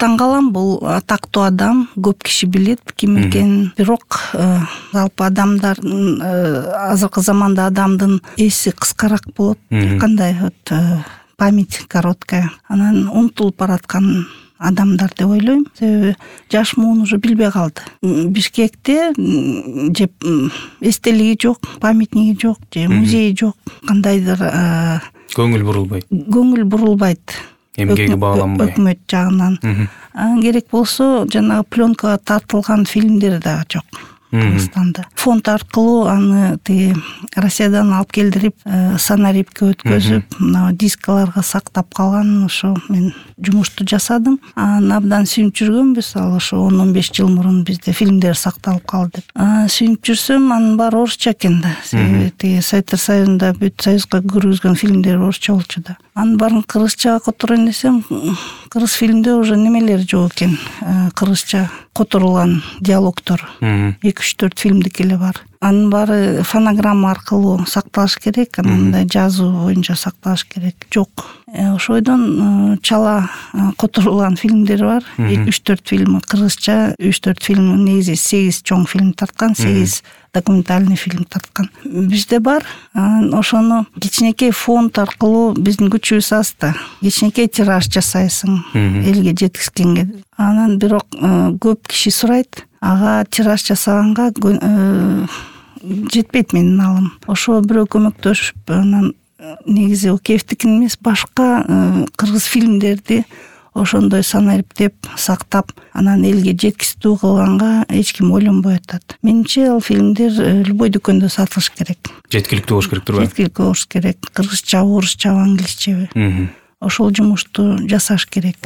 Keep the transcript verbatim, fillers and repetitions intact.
таң калам, бул атактуу адам, көп киши билет ким экенин, бирок жалпы адамдардын азыркы заманда адамдын эси кыскараак болот, кандай вот память короткая, анан унутулуп бараткан адамдар деп ойлойм. Себеби жаш муун уже билбей калды. Бишкекте же эстелиги жок, памятниги жок, же музейи жок, кандайдыр көңүл бурулбайт. Көңүл бурулбайт. Эмгеги бааланбай. Өкмөт жагынан. Керек болсо, жанагы пленкага тартылган фильмдер да жок. Кыргызстанда. Фонд аркылуу аны тиги Россиядан алып келдирип, санарипке өткөзүп, мына дискаларга сактап калган, ошо мен жумушту жасадым. Анан абдан сүйүнүп жүргөнбүз, ал ошо он он беш жыл мурун бизде фильмдер сакталып калды деп. Сүйүнүп жүрсөм, анын баары орусча экен да. Себеби тиги Советтер Союзунда бүт союзга киргизген фильмдер орусча болчу да. Анын баарын кыргызчага которойн десем, кыргыз фильмде уже немелер жок экен. Кыргызча которулган диалогтор. эки үч төрт фильмдики эле бар. Анын баары фонограмма аркылуу сакталыш керек, мындай жазуу боюнча сакталыш керек. Жок. Ошойдон чала которулган фильмдер бар. эки үч төрт фильм кыргызча, үч төрт фильм негизи сегиз чоң фильм тарткан, сегиз документальный фильм тарткан. Бизде бар. Ошону кичинекей фонд аркылуу биздин күчүбүз азда. Кичинекей тираж жасайсың элге жеткизгенге. Анан бирок көп киши сурайт. Ага тираж жасаганга жетпейт менин алым. Ошо бирөө көмөктөшүп, анан негизи Океевдикин эмес, башка кыргыз фильмдерди ошондой санариптеп, сактап, анан элге жеткизүү кылганга эч ким ойлонбой атат. Менимче, ал фильмдер любой дүкөндө сатылыш керек. Жеткиликтүү болуш керек турбайбы? Жеткиликтүү болуш керек. Кыргызча, орусча, англисчеби. Ошол жумушту жасаш керек.